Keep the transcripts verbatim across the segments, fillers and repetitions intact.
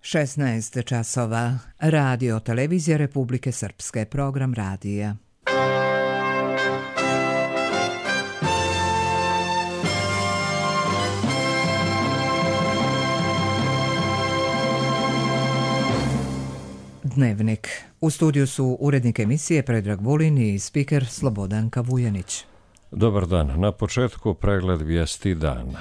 šesnaest časova. Radio Televizija Republike Srpske. Program radija. Dnevnik. U studiju su urednik emisije Predrag Vulin i spiker Slobodanka Vujanić. Dobar dan. Na početku pregled vijesti dana.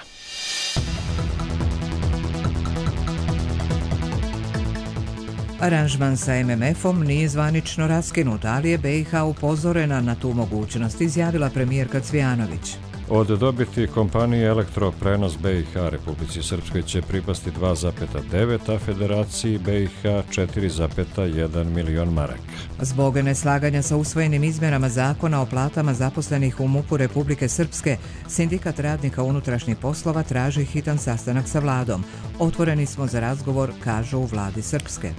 Aranžman sa em em efom nije zvanično raskinut, ali je be i ha upozorena na tu mogućnost, izjavila premijerka Cvijanović. Od dobiti kompanije Elektroprenos be i ha Republici Srpskoj će pripasti dva zarez devet, a Federaciji be i ha četiri zarez jedan milion maraka. Zbog neslaganja sa usvojenim izmjenama zakona o platama zaposlenih u MUP-u Republike Srpske, Sindikat radnika unutrašnjih poslova traži hitan sastanak sa vladom. Otvoreni smo za razgovor, kažu u vladi Srpske.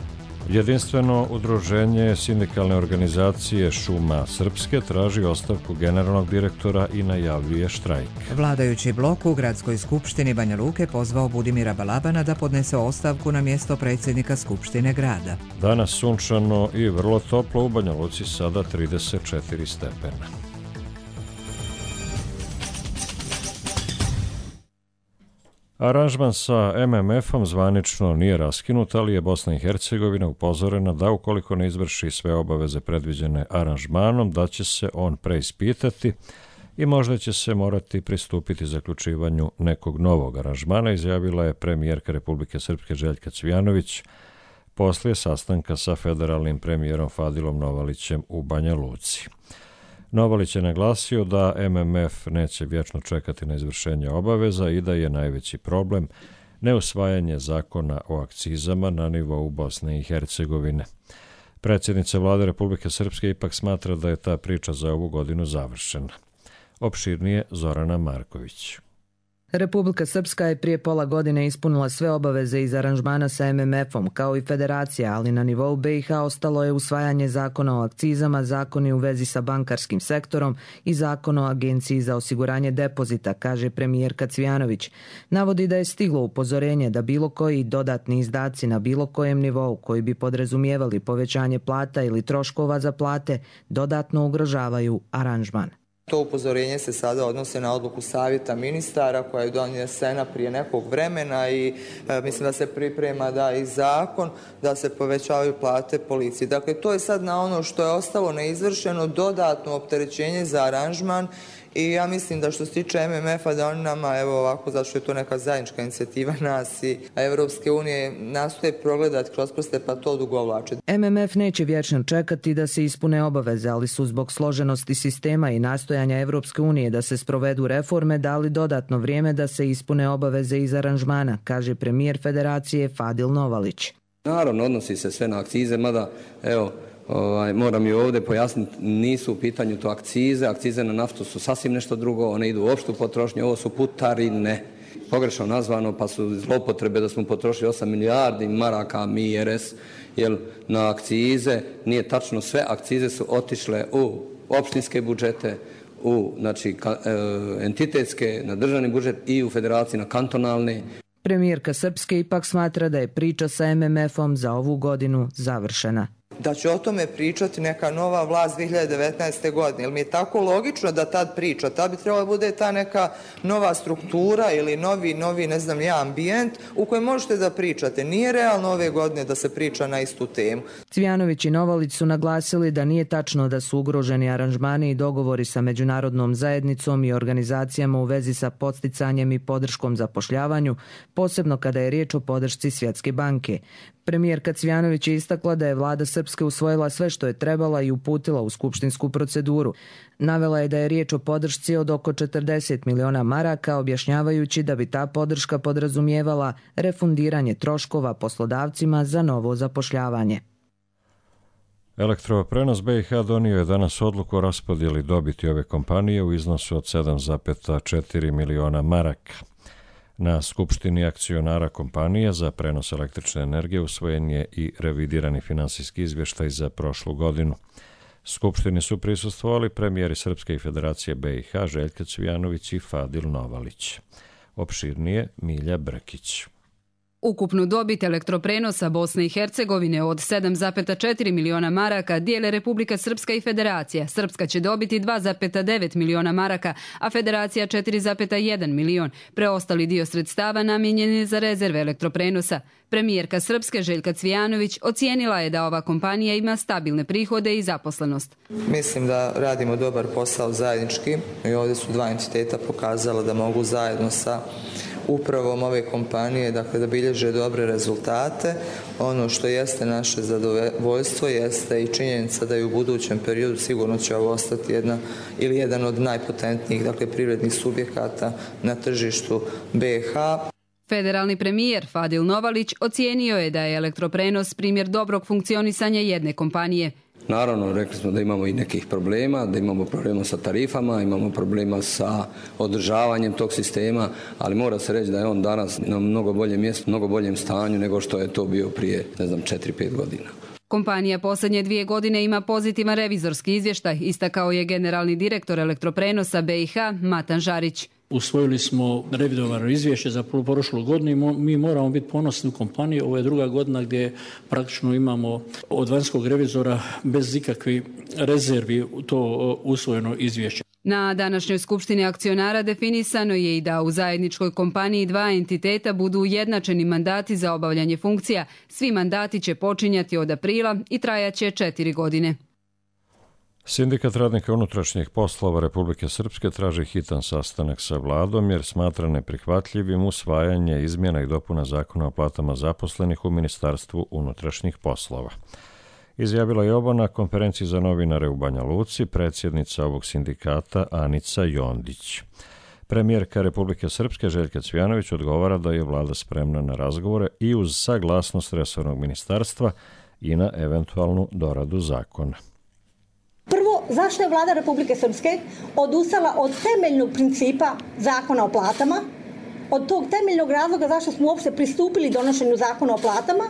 Jedinstveno udruženje sindikalne organizacije Šuma Srpske traži ostavku generalnog direktora i najavljuje štrajk. Vladajući blok u Gradskoj skupštini Banja Luke pozvao Budimira Balabana da podnese ostavku na mjesto predsjednika Skupštine grada. Danas sunčano i vrlo toplo, u Banja Luci sada trideset četiri stepena. Aranžman sa em em efom zvanično nije raskinut, ali je Bosna i Hercegovina upozorena da ukoliko ne izvrši sve obaveze predviđene aranžmanom, da će se on preispitati i možda će se morati pristupiti zaključivanju nekog novog aranžmana, izjavila je premijerka Republike Srpske Željka Cvijanović poslije sastanka sa federalnim premijerom Fadilom Novalićem u Banja Luci. Novalić je naglasio da em em ef neće vječno čekati na izvršenje obaveza i da je najveći problem neusvajanje zakona o akcizama na nivou Bosne i Hercegovine. Predsjednica vlade Republike Srpske ipak smatra da je ta priča za ovu godinu završena. Opširnije Zorana Marković. Republika Srpska je prije pola godine ispunila sve obaveze iz aranžmana sa em em efom, kao i Federacija, ali na nivou be i ha ostalo je usvajanje zakona o akcizama, zakoni u vezi sa bankarskim sektorom i zakon o Agenciji za osiguranje depozita, kaže premijerka Cvijanović. Navodi da je stiglo upozorenje da bilo koji dodatni izdaci na bilo kojem nivou koji bi podrazumijevali povećanje plata ili troškova za plate dodatno ugrožavaju aranžman. To upozorenje se sada odnose na odluku savjeta ministara koja je donesena prije nekog vremena i e, mislim da se priprema da i zakon da se povećavaju plate policiji. Dakle, to je sad na ono što je ostalo neizvršeno dodatno opterećenje za aranžman i ja mislim da što se tiče em em efa da oni nama, evo ovako, zato što je to neka zajednička inicijativa nas i Evropske unije, nastoje progledati kroz prste pa to odugovlače. em em ef neće vječno čekati da se ispune obaveze, ali su zbog složenosti sistema i nastojanja Evropske unije da se sprovedu reforme dali dodatno vrijeme da se ispune obaveze iz aranžmana, kaže premijer Federacije Fadil Novalić. Naravno, odnosi se sve na akcize, mada, evo, Ovaj, moram i ovdje pojasniti, nisu u pitanju to akcize, akcize na naftu su sasvim nešto drugo, one idu u opštu potrošnju, ovo su putarine, pogrešno nazvano, pa su zloupotrebe da smo potrošili osam milijardi maraka mi er es, jer na akcize nije tačno sve, akcize su otišle u opštinske budžete, u znači, ka, e, entitetske, na državni budžet i u federaciji na kantonalne. Premijerka Srpske ipak smatra da je priča sa em em efom za ovu godinu završena. Da će o tome pričati neka nova vlast dvije hiljade devetnaeste. godine. Jer mi je tako logično da tad priča. Tad bi trebala bude ta neka nova struktura ili novi, novi ne znam ja, ambijent u kojem možete da pričate. Nije realno ove godine da se priča na istu temu. Cvijanović i Novalić su naglasili da nije tačno da su ugroženi aranžmani i dogovori sa međunarodnom zajednicom i organizacijama u vezi sa podsticanjem i podrškom zapošljavanju, posebno kada je riječ o podršci Svjetske banke. Premijerka Cvijanović je istakla da je vlada Srpske usvojila sve što je trebala i uputila u skupštinsku proceduru. Navela je da je riječ o podršci od oko četrdeset miliona maraka, objašnjavajući da bi ta podrška podrazumijevala refundiranje troškova poslodavcima za novo zapošljavanje. Elektroprenos be i ha donio je danas odluku o raspodjeli dobiti ove kompanije u iznosu od sedam zarez četiri miliona maraka. Na skupštini akcionara kompanija za prenos električne energije usvojen je i revidirani finansijski izvještaj za prošlu godinu. Skupštini su prisustvovali premijeri Srpske i Federacije be i ha Željka Cvijanović i Fadil Novalić. Opširnije Milja Brkić. Ukupnu dobit Elektroprenosa Bosne i Hercegovine od sedam zarez četiri miliona maraka dijele Republika Srpska i Federacija. Srpska će dobiti dva zarez devet miliona maraka, a Federacija četiri zarez jedan milion. Preostali dio sredstava namijenjen je za rezerve Elektroprenosa. Premijerka Srpske Željka Cvijanović ocijenila je da ova kompanija ima stabilne prihode i zaposlenost. Mislim da radimo dobar posao zajednički i ovdje su dva entiteta pokazala da mogu zajedno sa upravom ove kompanije, dakle, da bilježe dobre rezultate. Ono što jeste naše zadovoljstvo jeste i činjenica da je u budućem periodu sigurno će ovo ostati jedna ili jedan od najpotentnijih, dakle, privrednih subjekata na tržištu B iH. Federalni premijer Fadil Novalić ocijenio je da je Elektroprenos primjer dobrog funkcionisanja jedne kompanije. Naravno, rekli smo da imamo i nekih problema, da imamo problema sa tarifama, imamo problema sa održavanjem tog sistema, ali mora se reći da je on danas na mnogo boljem mjestu, mnogo boljem stanju nego što je to bio prije, ne znam, četiri pet godina. Kompanija posljednje dvije godine ima pozitivan revizorski izvještaj, istakao je generalni direktor Elektroprenosa B iH Matan Žarić. Usvojili smo revidovano izvješće za prošlu godinu i mi moramo biti ponosni u kompaniji. Ovo je druga godina gdje praktično imamo od vanjskog revizora bez ikakvih rezervi to usvojeno izvješće. Na današnjoj skupštini akcionara definisano je i da u zajedničkoj kompaniji dva entiteta budu ujednačeni mandati za obavljanje funkcija. Svi mandati će počinjati od aprila i trajaće četiri godine. Sindikat radnika unutrašnjih poslova Republike Srpske traži hitan sastanak sa vladom jer smatra neprihvatljivim usvajanje izmjena i dopuna zakona o platama zaposlenih u Ministarstvu unutrašnjih poslova. Izjavila je ovo na konferenciji za novinare u Banja Luci predsjednica ovog sindikata Anica Jondić. Premijerka Republike Srpske Željka Cvijanović odgovara da je vlada spremna na razgovore i uz saglasnost resornog ministarstva i na eventualnu doradu zakona. Prvo, zašto je vlada Republike Srpske odustala od temeljnog principa zakona o platama, od tog temeljnog razloga zašto smo uopšte pristupili donošenju zakona o platama,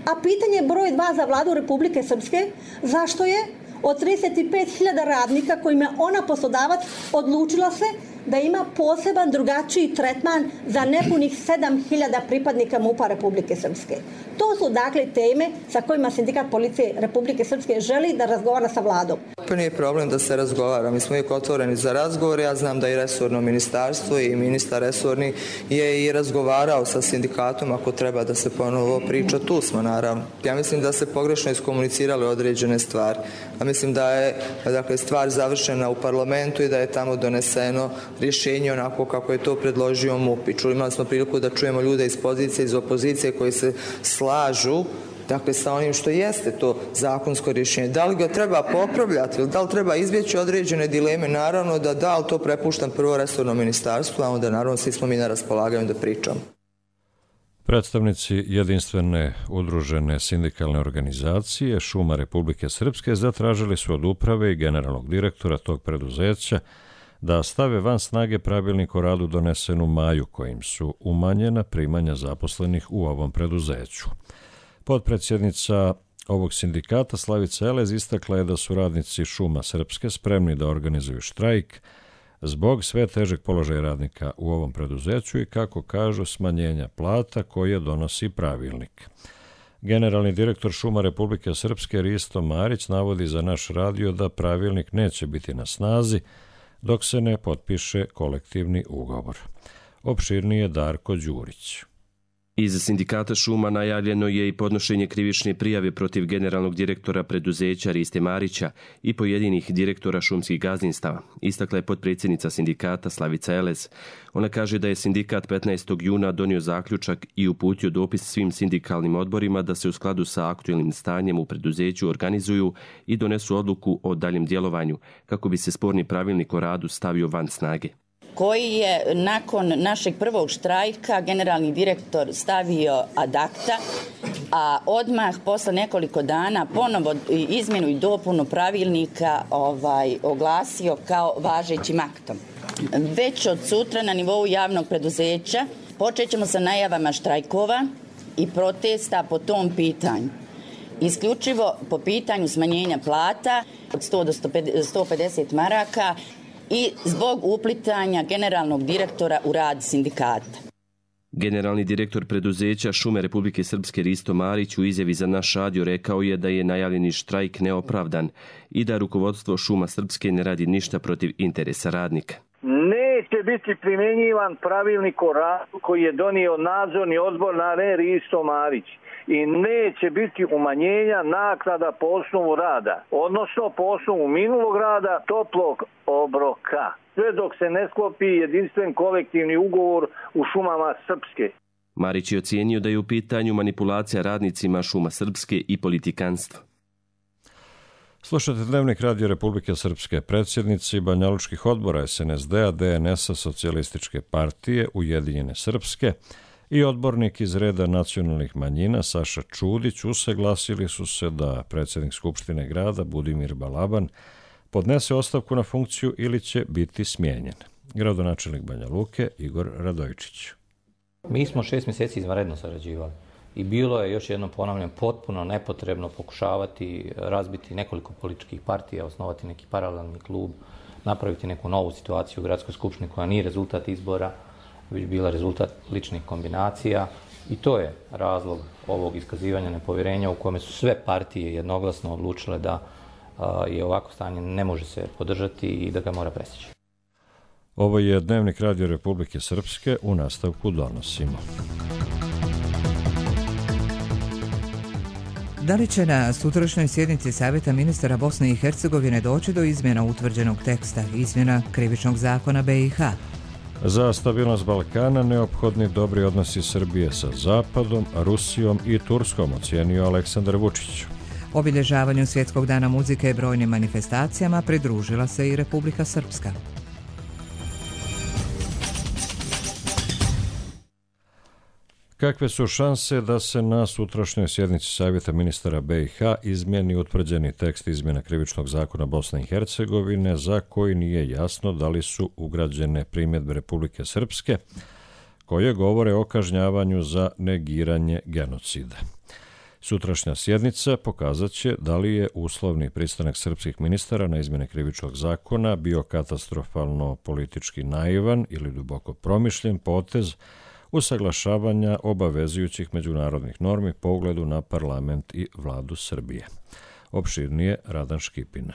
a pitanje broj dva za vladu Republike Srpske, zašto je od trideset pet hiljada radnika kojima je ona poslodavac odlučila se da ima poseban drugačiji tretman za nepunih sedam hiljada pripadnika MUP-a Republike Srpske. To su dakle teme sa kojima Sindikat policije Republike Srpske želi da razgovara sa vladom. To nije problem da se razgovara. Mi smo uvijek otvoreni za razgovor. Ja znam da i resorno ministarstvo i ministar resorni je i razgovarao sa sindikatom ako treba da se ponovo priča. Tu smo naravno. Ja mislim da se pogrešno iskomunicirali određene stvari. A mislim da je dakle, stvar završena u parlamentu i da je tamo doneseno rješenje onako kako je to predložio MUP. I čuli, imali smo priliku da čujemo ljude iz pozicije, iz opozicije koji se slažu dakle sa onim što jeste to zakonsko rješenje. Da li ga treba popravljati ili da li treba izbjeći određene dileme, naravno da da, ali to prepuštam prvo resorno ministarstvo, a onda naravno svi smo mi na raspolaganju da pričamo. Predstavnici jedinstvene udružene sindikalne organizacije Šuma Republike Srpske zatražili su od uprave i generalnog direktora tog preduzeća da stave van snage pravilnik o radu donesen u maju kojim su umanjena primanja zaposlenih u ovom preduzeću. Potpredsjednica ovog sindikata Slavica Elez istakla je da su radnici Šuma Srpske spremni da organizuju štrajk zbog sve težeg položaja radnika u ovom preduzeću i, kako kažu, smanjenja plata koje donosi pravilnik. Generalni direktor Šuma Republike Srpske Risto Marić navodi za naš radio da pravilnik neće biti na snazi dok se ne potpiše kolektivni ugovor. Opširnije Darko Đurić. Iz sindikata Šuma najavljeno je i podnošenje krivične prijave protiv generalnog direktora preduzeća Riste Marića i pojedinih direktora šumskih gazdinstava, istakla je potpredsjednica sindikata Slavica Elez. Ona kaže da je sindikat petnaestog juna donio zaključak i uputio dopis svim sindikalnim odborima da se u skladu sa aktuelnim stanjem u preduzeću organizuju i donesu odluku o daljem djelovanju, kako bi se sporni pravilnik o radu stavio van snage, koji je nakon našeg prvog štrajka generalni direktor stavio ad acta, a odmah posle nekoliko dana ponovo izmjenu i dopunu pravilnika ovaj, oglasio kao važećim aktom. Već od sutra na nivou javnog preduzeća počet ćemo sa najavama štrajkova i protesta po tom pitanju. Isključivo po pitanju smanjenja plata od sto do sto pedeset maraka i zbog uplitanja generalnog direktora u rad sindikata. Generalni direktor preduzeća Šume Republike Srpske Risto Marić u izjavi za Naš radio rekao je da je najavljeni štrajk neopravdan i da rukovodstvo Šuma Srpske ne radi ništa protiv interesa radnika. Neće biti primjenjivan pravilnik o radu koji je donio nadzorni odbor na re Risto Marić i neće biti umanjenja naknada po osnovu rada, odnosno po osnovu minulog rada toplog obroka, sve dok se ne sklopi jedinstven kolektivni ugovor u Šumama Srpske. Marić je ocijenio da je u pitanju manipulacija radnicima Šuma Srpske i politikanstvo. Slušate Dnevnik Radio Republike Srpske. Predsjednici banjalučkih odbora es en es de a, de en es a, Socijalističke partije, Ujedinjene Srpske i odbornik iz reda nacionalnih manjina Saša Čudić usaglasili su se da predsjednik Skupštine grada Budimir Balaban podnese ostavku na funkciju ili će biti smijenjen. Gradonačelnik Banja Luke Igor Radojičić. Mi smo šest mjeseci izvanredno sarađivali i bilo je, još jednom ponavljam, potpuno nepotrebno pokušavati razbiti nekoliko političkih partija, osnovati neki paralelni klub, napraviti neku novu situaciju u gradskoj skupštini koja nije rezultat izbora, već bila rezultat ličnih kombinacija i to je razlog ovog iskazivanja nepovjerenja u kome su sve partije jednoglasno odlučile da je ovako stanje ne može se podržati i da ga mora presjeći. Ovo je Dnevnik Radio Republike Srpske, u nastavku donosimo. Da li će na sutrašnjoj sjednici Savjeta ministara Bosne i Hercegovine doći do izmjena utvrđenog teksta, izmjena krivičnog zakona be i ha? Za stabilnost Balkana neophodni dobri odnosi Srbije sa Zapadom, Rusijom i Turskom, ocijenio Aleksandar Vučić. Obilježavanju Svjetskog dana muzike i brojnim manifestacijama pridružila se i Republika Srpska. Kakve su šanse da se na sutrašnjoj sjednici Savjeta ministara be i ha izmijeni utvrđeni tekst izmjena krivičnog zakona Bosne i Hercegovine za koji nije jasno da li su ugrađene primjedbe Republike Srpske koje govore o kažnjavanju za negiranje genocida? Sutrašnja sjednica pokazat će da li je uslovni pristanak srpskih ministara na izmjene krivičnog zakona bio katastrofalno politički naivan ili duboko promišljen potez usaglašavanja obavezujućih međunarodnih normi po ugledu na parlament i vladu Srbije. Opširnije Radan Škipina.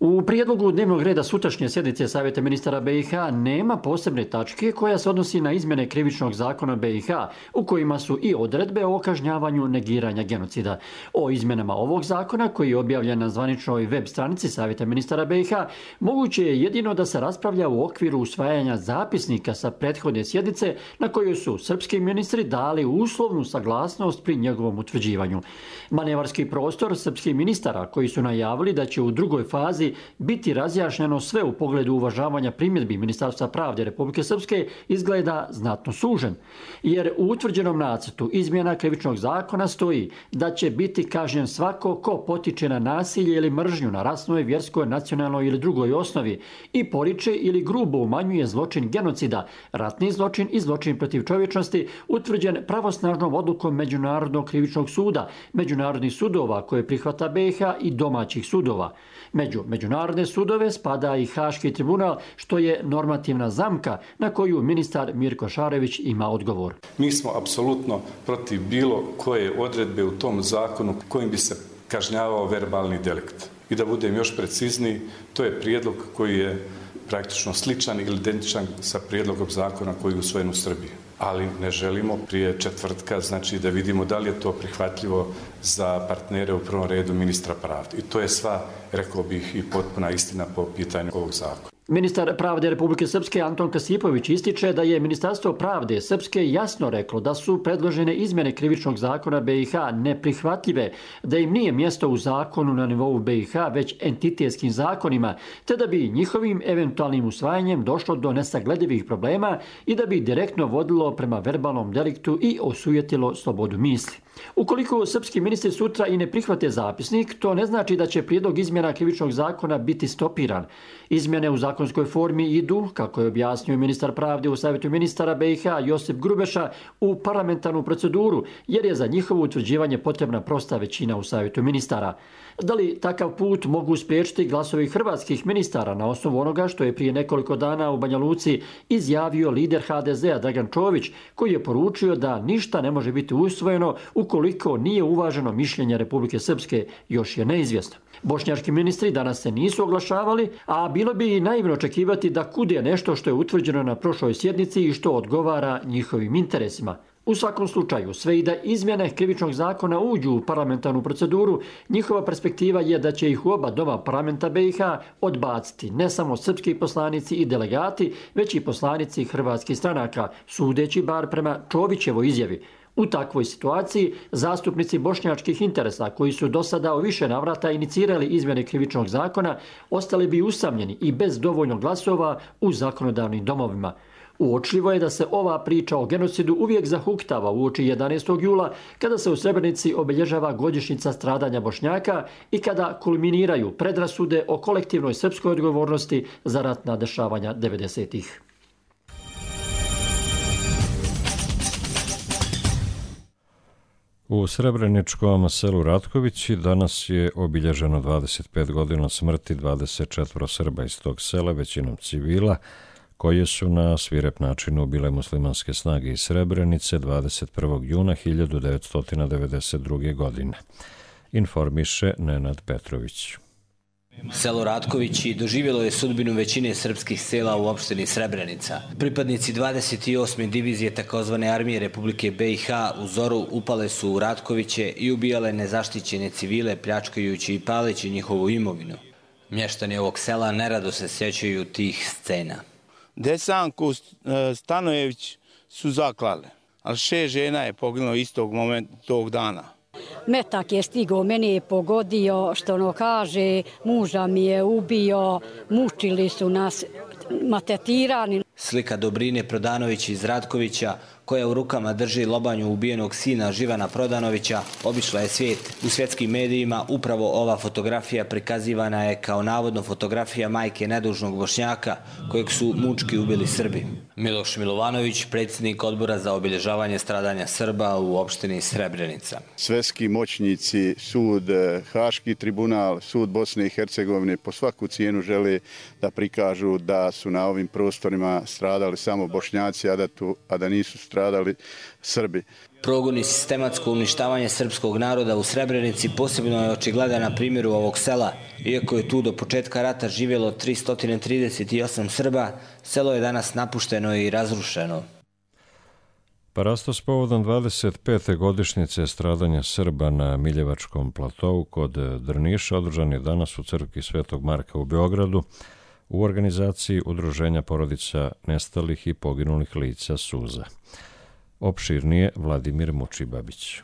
U prijedlogu dnevnog reda sutrašnje sjednice Savjeta ministara be i ha nema posebne tačke koja se odnosi na izmjene krivičnog zakona be i ha, u kojima su i odredbe o kažnjavanju negiranja genocida. O izmjenama ovog zakona, koji je objavljen na zvaničnoj web stranici Savjeta ministara be i ha, moguće je jedino da se raspravlja u okviru usvajanja zapisnika sa prethodne sjednice na kojoj su srpski ministri dali uslovnu saglasnost pri njegovom utvrđivanju. Manevarski prostor srpskih ministara koji su najavili da će u drugoj fazi biti razjašnjeno sve u pogledu uvažavanja primjedbi Ministarstva pravde Republike Srpske izgleda znatno sužen, jer u utvrđenom nacrtu izmjena krivičnog zakona stoji da će biti kažnjen svako ko potiče na nasilje ili mržnju na rasnoj, vjerskoj, nacionalnoj ili drugoj osnovi i poriče ili grubo umanjuje zločin genocida, ratni zločin i zločin protiv čovječnosti utvrđen pravosnažnom odlukom Međunarodnog krivičnog suda, međunarodnih sudova koje prihvata be i ha i domaćih sudova. Među međunarodne sudove spada i Haški tribunal, što je normativna zamka na koju ministar Mirko Šarević ima odgovor. Mi smo apsolutno protiv bilo koje odredbe u tom zakonu kojim bi se kažnjavao verbalni delikt. I da budem još precizniji, to je prijedlog koji je praktično sličan ili identičan sa prijedlogom zakona koji je usvojen u Srbiji. Ali ne želimo prije četvrtka, znači da vidimo da li je to prihvatljivo za partnere, u prvom redu ministra pravde. I to je sva, rekao bih, i potpuna istina po pitanju ovog zakona. Ministar pravde Republike Srpske Anton Kasipović ističe da je Ministarstvo pravde Srpske jasno reklo da su predložene izmjene krivičnog zakona be i ha neprihvatljive, da im nije mjesto u zakonu na nivou be i ha, već entitetskim zakonima, te da bi njihovim eventualnim usvajanjem došlo do nesagledivih problema i da bi direktno vodilo prema verbalnom deliktu i osujetilo slobodu misli. Ukoliko srpski ministri sutra i ne prihvate zapisnik, to ne znači da će prijedlog izmjena krivičnog zakona biti stopiran. Izmjene u zakonskoj formi idu, kako je objasnio ministar pravde u Savjetu ministara B i H Josip Grubeša, u parlamentarnu proceduru, jer je za njihovo utvrđivanje potrebna prosta većina u Savjetu ministara. Da li takav put mogu spriječiti glasovi hrvatskih ministara na osnovu onoga što je prije nekoliko dana u Banja Luci izjavio lider H D Z-a Dragan Čović, koji je poručio da ništa ne može biti usvojeno ukoliko nije uvaženo mišljenje Republike Srpske, još je neizvjesno. Bošnjački ministri danas se nisu oglašavali, a bilo bi i naivno očekivati da kude nešto što je utvrđeno na prošloj sjednici i što odgovara njihovim interesima. U svakom slučaju, sve i da izmjene krivičnog zakona uđu u parlamentarnu proceduru, njihova perspektiva je da će ih u oba doma parlamenta B i H odbaciti ne samo srpski poslanici i delegati, već i poslanici hrvatskih stranaka, sudeći bar prema Čovićevoj izjavi. U takvoj situaciji, zastupnici bošnjačkih interesa, koji su do sada u više navrata inicirali izmjene krivičnog zakona, ostali bi usamljeni i bez dovoljno glasova u zakonodavnim domovima. Uočljivo je da se ova priča o genocidu uvijek zahuktava uoči jedanaestog jula, kada se u Srebrenici obilježava godišnjica stradanja Bošnjaka i kada kulminiraju predrasude o kolektivnoj srpskoj odgovornosti za ratna dešavanja devedesetih. U srebreničkom selu Ratkovići danas je obilježeno dvadeset pet godina smrti dvadeset četvoro Srba iz tog sela, većinom civila, koje su na svirep način ubile muslimanske snage iz Srebrenice dvadeset prvog juna hiljadu devetsto devedeset druge. godine. Informiše Nenad Petrović. Selo Ratkovići doživjelo je sudbinu većine srpskih sela u opštini Srebrenica. Pripadnici dvadeset osme divizije takozvane armije Republike B i H u zoru upale su u Ratkoviće i ubijale nezaštićene civile, pljačkajući i paleći njihovu imovinu. Mještani ovog sela nerado se sjećaju tih scena. Desanku Stanojević su zaklale, ali šest žena je poginulo istog momenta, tog dana. Metak je stigao, meni je pogodio, što ono kaže, muža mi je ubio, mučili su nas, maltretirani. Slika Dobrine Prodanović iz Ratkovića, koja u rukama drži lobanju ubijenog sina Živana Prodanovića, obišla je svijet. U svjetskim medijima upravo ova fotografija prikazivana je kao navodno fotografija majke nedužnog Bošnjaka, kojeg su mučki ubili Srbi. Miloš Milovanović, predsjednik odbora za obilježavanje stradanja Srba u opštini Srebrenica. Svjetski moćnici, sud, Haški tribunal, sud Bosne i Hercegovine po svaku cijenu žele da prikažu da su na ovim prostorima stradali samo Bošnjaci, a da, tu, a da nisu stradali Srbi. Progon i sistematsko uništavanje srpskog naroda u Srebrenici posebno je očigledan na primjeru ovog sela. Iako je tu do početka rata živjelo tristo trideset osam Srba, selo je danas napušteno i razrušeno. Parastos povodom dvadeset pete godišnjice stradanja Srba na Miljevačkom platovu kod Drniša održan je danas u crkvi Svetog Marka u Beogradu u organizaciji Udruženja porodica nestalih i poginulih lica Suza. Opširnije Vladimir Mučibabić.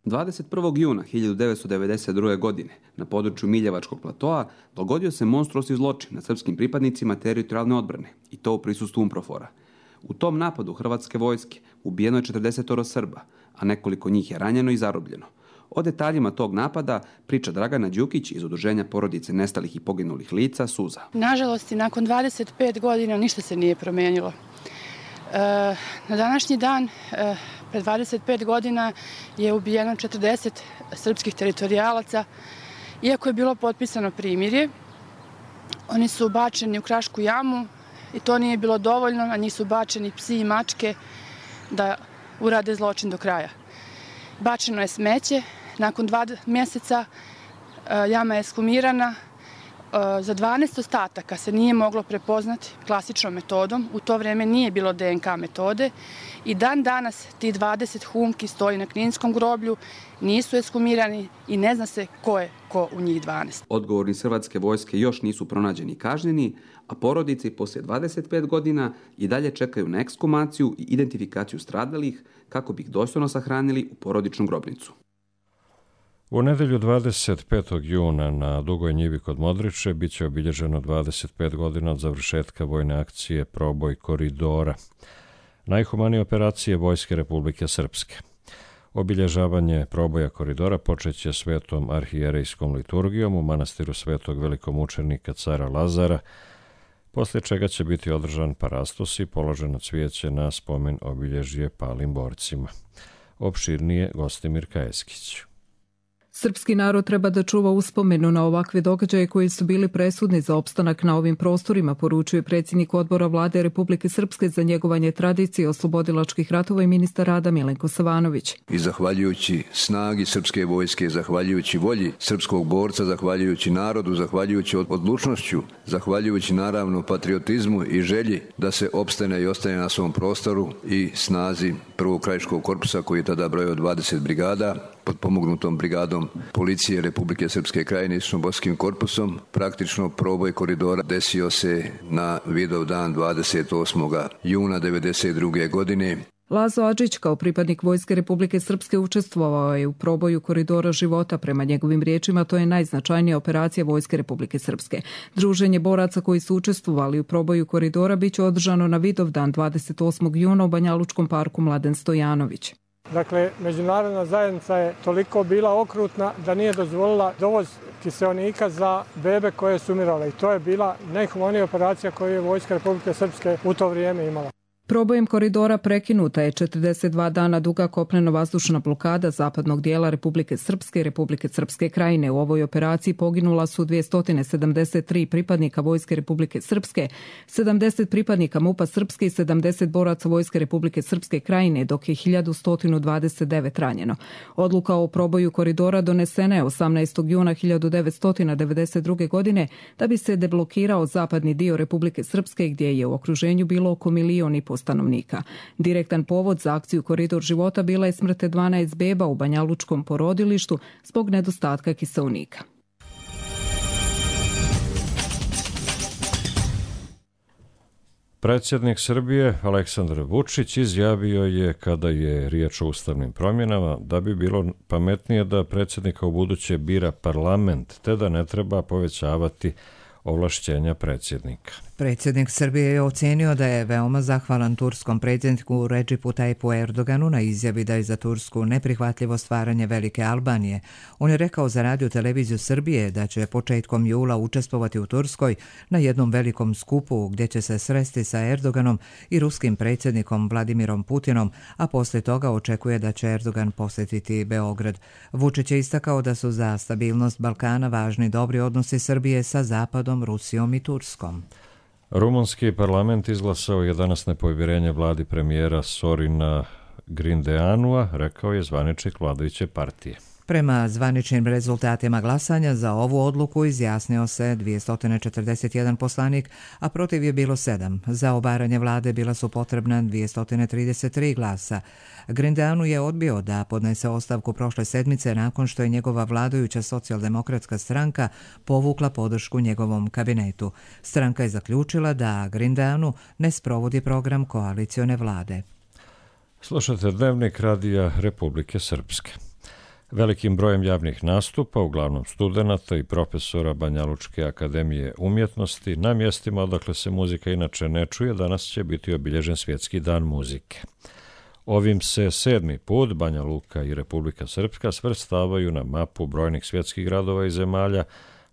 dvadeset prvog juna hiljadu devetsto devedeset druge. godine na području Miljevačkog platoa dogodio se monstruosni zločin nad srpskim pripadnicima teritorijalne odbrane, i to u prisustvu UNPROFOR-a. U tom napadu hrvatske vojske ubijeno je četrdeset Srba, a nekoliko njih je ranjeno i zarobljeno. O detaljima tog napada priča Dragana Đukić iz Udruženja porodice nestalih i poginulih lica Suza. Nažalost, nakon dvadeset pet godina ništa se nije promijenilo. E, na današnji dan, e, pred dvadeset pet godina, je ubijeno četrdeset srpskih teritorijalaca. Iako je bilo potpisano primirje, oni su bačeni u Krašku jamu i to nije bilo dovoljno, na njih su bačeni psi i mačke da urade zločin do kraja. Bačeno je smeće, nakon dva mjeseca jama je ekshumirana. Za dvanaest ostataka se nije moglo prepoznati klasičnom metodom, u to vrijeme nije bilo D N K metode i dan danas ti dvadeset humki stoji na Kninskom groblju, nisu ekshumirani i ne zna se ko je ko u njih dvanaest. Odgovorni hrvatske vojske još nisu pronađeni i kažnjeni, a porodice poslije dvadeset pet godina i dalje čekaju na ekshumaciju i identifikaciju stradalih kako bi ih dostojno sahranili u porodičnu grobnicu. U nedelju dvadeset petog juna na Dugoj njivi kod Modriče bit će obilježeno dvadeset pet godina od završetka vojne akcije Proboj koridora, najhumanije operacije Vojske Republike Srpske. Obilježavanje proboja koridora počeće svetom arhijerejskom liturgijom u manastiru svetog velikomučenika cara Lazara, poslije čega će biti održan parastos i položeno cvijeće na spomen obilježje palim borcima. Opširnije Gostimir Kajeskić. Srpski narod treba da čuva uspomenu na ovakve događaje koji su bili presudni za opstanak na ovim prostorima, poručuje predsjednik odbora vlade Republike Srpske za njegovanje tradicije oslobodilačkih ratova i ministar rada Milenko Savanović. I zahvaljujući snagi srpske vojske, zahvaljujući volji srpskog borca, zahvaljujući narodu, zahvaljujući odlučnošću, zahvaljujući naravno patriotizmu i želji da se opstane i ostane na svom prostoru i snazi prvog krajiškog korpusa koji je tada brojao dvadeset brigada, pod pomognutom brigadom policije Republike Srpske krajine i Bosanskim korpusom. Praktično proboj koridora desio se na Vidov dan dvadeset osmog juna devedeset druge. godine. Lazo Adžić kao pripadnik Vojske Republike Srpske učestvovao je u proboju koridora života. Prema njegovim riječima to je najznačajnija operacija Vojske Republike Srpske. Druženje boraca koji su učestvovali u proboju koridora biće održano na Vidov dan dvadeset osmog juna u Banjalučkom parku Mladen Stojanović. Dakle, međunarodna zajednica je toliko bila okrutna da nije dozvolila dovoz kiseonika za bebe koje su umirale. I to je bila najhumanija operacija koju je Vojska Republike Srpske u to vrijeme imala. Probojem koridora prekinuta je četrdeset dva dana duga kopneno-vazdušna blokada zapadnog dijela Republike Srpske i Republike Srpske krajine. U ovoj operaciji poginula su dvjesto sedamdeset tri pripadnika Vojske Republike Srpske, sedamdeset pripadnika MUP-a Srpske i sedamdeset boraca Vojske Republike Srpske krajine, dok je hiljadu sto dvadeset devet ranjeno. Odluka o proboju koridora donesena je osamnaestog juna hiljadu devetsto devedeset druge. godine da bi se deblokirao zapadni dio Republike Srpske gdje je u okruženju bilo oko milion i po stanovnika. Direktan povod za akciju Koridor života bila je smrt dvanaest beba u Banjalučkom porodilištu zbog nedostatka kiseonika. Predsjednik Srbije Aleksandar Vučić izjavio je kada je riječ o ustavnim promjenama da bi bilo pametnije da predsjednika ubuduće bira parlament, te da ne treba povećavati ovlašćenja predsjednika. Predsjednik Srbije je ocenio da je veoma zahvalan turskom predsjedniku Redžipu Tajipu Erdoganu na izjavi da je za Tursku neprihvatljivo stvaranje Velike Albanije. On je rekao za radio televiziju Srbije da će početkom jula učestvovati u Turskoj na jednom velikom skupu gdje će se sresti sa Erdoganom i ruskim predsjednikom Vladimirom Putinom, a poslije toga očekuje da će Erdogan posjetiti Beograd. Vučić je istakao da su za stabilnost Balkana važni dobri odnosi Srbije sa Zapadom, Rusijom i Turskom. Rumunski parlament izglasao je danas nepovjerenje vladi premijera Sorina Grindeanua, rekao je zvaničnik vladajuće partije. Prema zvaničnim rezultatima glasanja za ovu odluku izjasnio se dvjesto četrdeset jedan poslanik, a protiv je bilo sedam. Za obaranje vlade bila su potrebna dvjesto trideset tri glasa. Grindeanu je odbio da podnese ostavku prošle sedmice nakon što je njegova vladajuća socijaldemokratska stranka povukla podršku njegovom kabinetu. Stranka je zaključila da Grindeanu ne sprovodi program koalicione vlade. Slušajte Dnevnik radija Republike Srpske. Velikim brojem javnih nastupa, uglavnom studenata i profesora Banjalučke akademije umjetnosti, na mjestima odakle se muzika inače ne čuje, danas će biti obilježen Svjetski dan muzike. Ovim se sedmi put Banja Luka i Republika Srpska svrstavaju na mapu brojnih svjetskih gradova i zemalja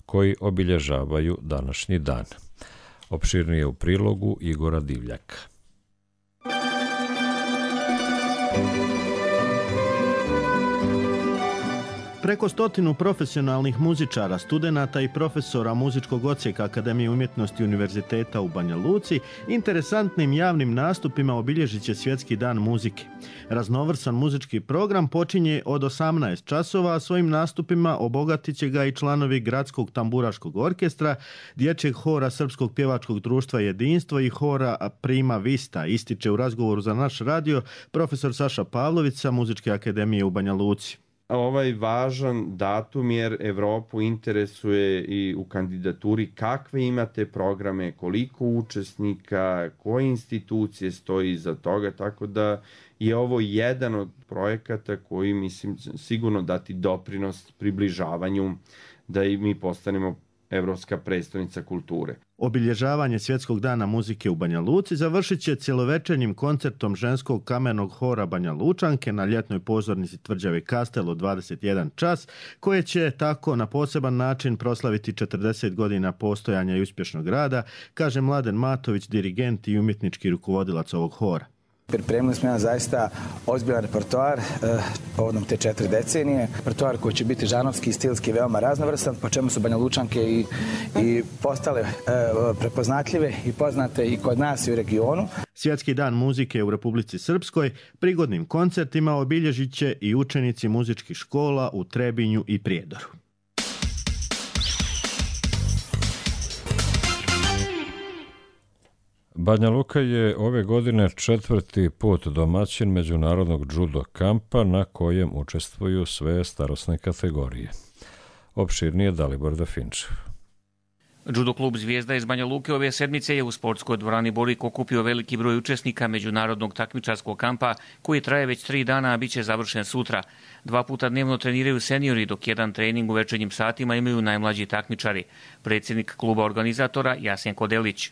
koji obilježavaju današnji dan. Opširnije u prilogu Igora Divljaka. Preko stotinu profesionalnih muzičara, studenata i profesora muzičkog odsjeka Akademije umjetnosti Univerziteta u Banja Luci interesantnim javnim nastupima obilježit će Svjetski dan muzike. Raznovrsan muzički program počinje od osamnaest časova, a svojim nastupima obogatit će ga i članovi Gradskog tamburaškog orkestra, Dječjeg hora Srpskog pjevačkog društva Jedinstvo i hora Prima Vista, ističe u razgovoru za naš radio profesor Saša Pavlović sa Muzičke akademije u Banja Luci. Ovaj važan datum jer Evropu interesuje i u kandidaturi kakve imate programe, koliko učesnika, koje institucije stoji iza toga, tako da je ovo jedan od projekata koji mislim sigurno dati doprinos približavanju da i mi postanemo Evropska prestolnica kulture. Obilježavanje Svjetskog dana muzike u Banja Luci završit će cjelovečernjim koncertom ženskog kamenog hora Banja Lučanke na ljetnoj pozornici tvrđave Kastel od dvadeset jedan čas, koje će tako na poseban način proslaviti četrdeset godina postojanja i uspješnog rada, kaže Mladen Matović, dirigent i umjetnički rukovodilac ovog hora. Pripremili smo jedan zaista ozbiljan repertoar eh, povodom te četiri decenije. Repertoar koji će biti žanovski i stilski veoma raznovrstan, po čemu su Banja Lučanke i, i postale eh, prepoznatljive i poznate i kod nas i u regionu. Svjetski dan muzike u Republici Srpskoj prigodnim koncertima obilježit će i učenici muzičkih škola u Trebinju i Prijedoru. Banja Luka je ove godine četvrti put domaćin međunarodnog judo kampa na kojem učestvuju sve starosne kategorije. Opširnije Dalibor Dafinčev. Judo klub Zvijezda iz Banja Luke ove sedmice je u sportskoj dvorani Borik okupio veliki broj učesnika međunarodnog takmičarskog kampa koji traje već tri dana, a bit će završen sutra. Dva puta dnevno treniraju seniori, dok jedan trening u večernjim satima imaju najmlađi takmičari. Predsjednik kluba organizatora Jasenko Delić.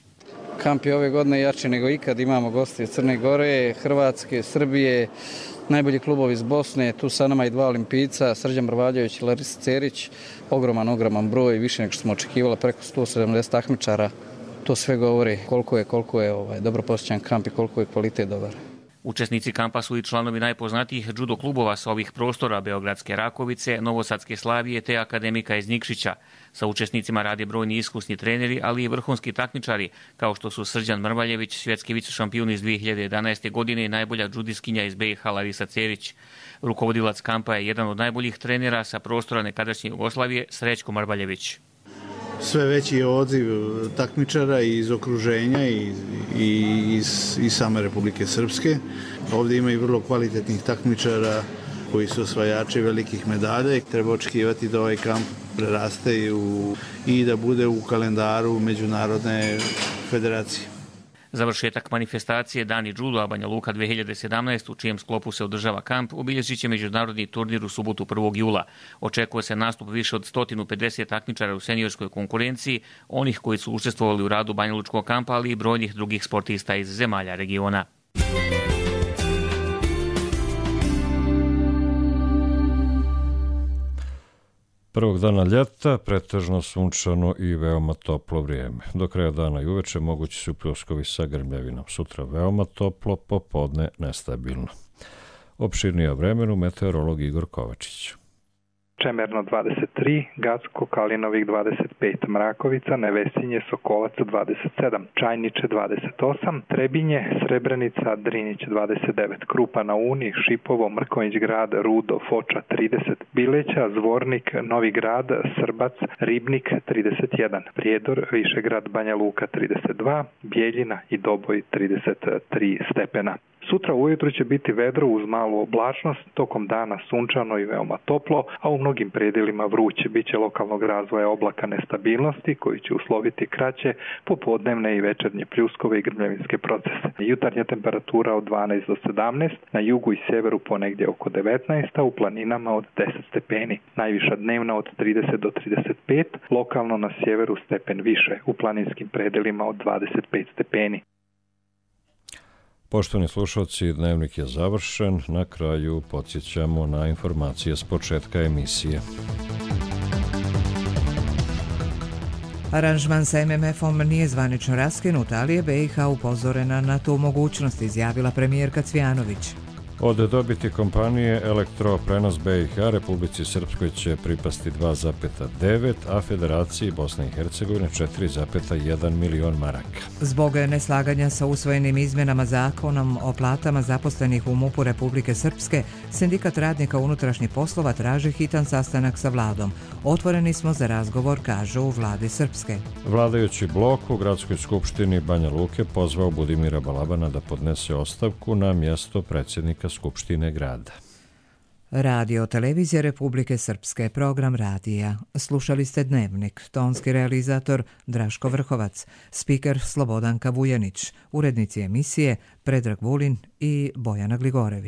Kamp je ove godine jači nego ikad, imamo goste iz Crne Gore, Hrvatske, Srbije, najbolji klubovi iz Bosne, tu sa nama i dva olimpijca, Srđan Brvaljević i Larisa Cerić, ogroman, ogroman broj, više nego što smo očekivali, preko sto sedamdeset takmičara. To sve govori koliko je, koliko je ovaj, dobro posjećan kamp i koliko je kvalitet dobar. Učesnici kampa su i članovi najpoznatijih judo klubova sa ovih prostora, Beogradske Rakovice, Novosadske Slavije te Akademika iz Nikšića. Sa učesnicima rade brojni iskusni treneri, ali i vrhunski takmičari, kao što su Srđan Mrvaljević, svjetski vice šampion iz dvije hiljade jedanaeste. godine i najbolja džudiskinja iz B i H Larisa Cerić. Rukovodilac kampa je jedan od najboljih trenera sa prostora nekadašnje Jugoslavije, Srećko Mrvaljević. Sve veći je odziv takmičara iz okruženja i, i iz, iz same Republike Srpske. Ovdje ima i vrlo kvalitetnih takmičara koji su osvajači velikih medalja. Treba očekivati da ovaj kamp preraste u, i da bude u kalendaru Međunarodne federacije. Završetak manifestacije Dani juda Banja Luka dvije hiljade sedamnaeste. u čijem sklopu se održava kamp obilježit će međunarodni turnir u subotu prvog jula. Očekuje se nastup više od sto pedeset takmičara u seniorskoj konkurenciji, onih koji su učestvovali u radu Banja Lučkog kampa, ali i brojnih drugih sportista iz zemalja regiona. Prvog dana ljeta pretežno sunčano i veoma toplo vrijeme. Do kraja dana i uveče mogući su pljuskovi sa grmljavinom. Sutra veoma toplo, popodne nestabilno. Opširnije o vremenu meteorolog Igor Kovačić. Čemerno dvadeset tri, Gacko, Kalinovik dvadeset pet, Mrakovica, Nevesinje, Sokolac dvadeset sedam, Čajniče dvadeset osam, Trebinje, Srebrenica, Drinić dvadeset devet, Krupa na Uni, Šipovo, Mrkonjić grad, Rudo, Foča trideset, Bileća, Zvornik, Novi grad, Srbac, Ribnik trideset jedan, Prijedor, Višegrad, Banja Luka trideset dva, Bijeljina i Doboj trideset tri stepena. Sutra ujutru će biti vedro uz malu oblačnost, tokom dana sunčano i veoma toplo, a u mnogim predjelima vruće. Biće lokalnog razvoja oblaka nestabilnosti koji će usloviti kraće popodnevne i večernje pljuskove i grmljavinske procese. Jutarnja temperatura od dvanaest do sedamnaest, na jugu i sjeveru ponegdje oko devetnaest, a u planinama od deset stepeni. Najviša dnevna od trideset do trideset pet, lokalno na sjeveru stepen više, u planinskim predjelima od dvadeset pet stepeni. Poštovani slušalci, dnevnik je završen. Na kraju podsjećamo na informacije s početka emisije. Aranžman sa M M F-om nije zvanično raskinut, ali je B i H upozorena na tu mogućnost, izjavila premijerka Cvjanović. Od dobiti kompanije Elektroprenos B i H Republici Srpskoj će pripasti dva zarez devet, a Federaciji Bosne i Hercegovine četiri zarez jedan milion maraka. Zbog neslaganja sa usvojenim izmjenama zakonom o platama zaposlenih u MUP-u Republike Srpske, Sindikat radnika unutrašnjih poslova traži hitan sastanak sa vladom. Otvoreni smo za razgovor, kažu u vladi Srpske. Vladajući blok u Gradskoj skupštini Banja Luke pozvao Budimira Balabana da podnese ostavku na mjesto predsjednika Skupštine grada. Radio Televizija Republike Srpske, program radija. Slušali ste Dnevnik, tonski realizator Draško Vrhovac, spiker Slobodanka Vujanić, urednici emisije Predrag Vulin i Bojana Gligorević.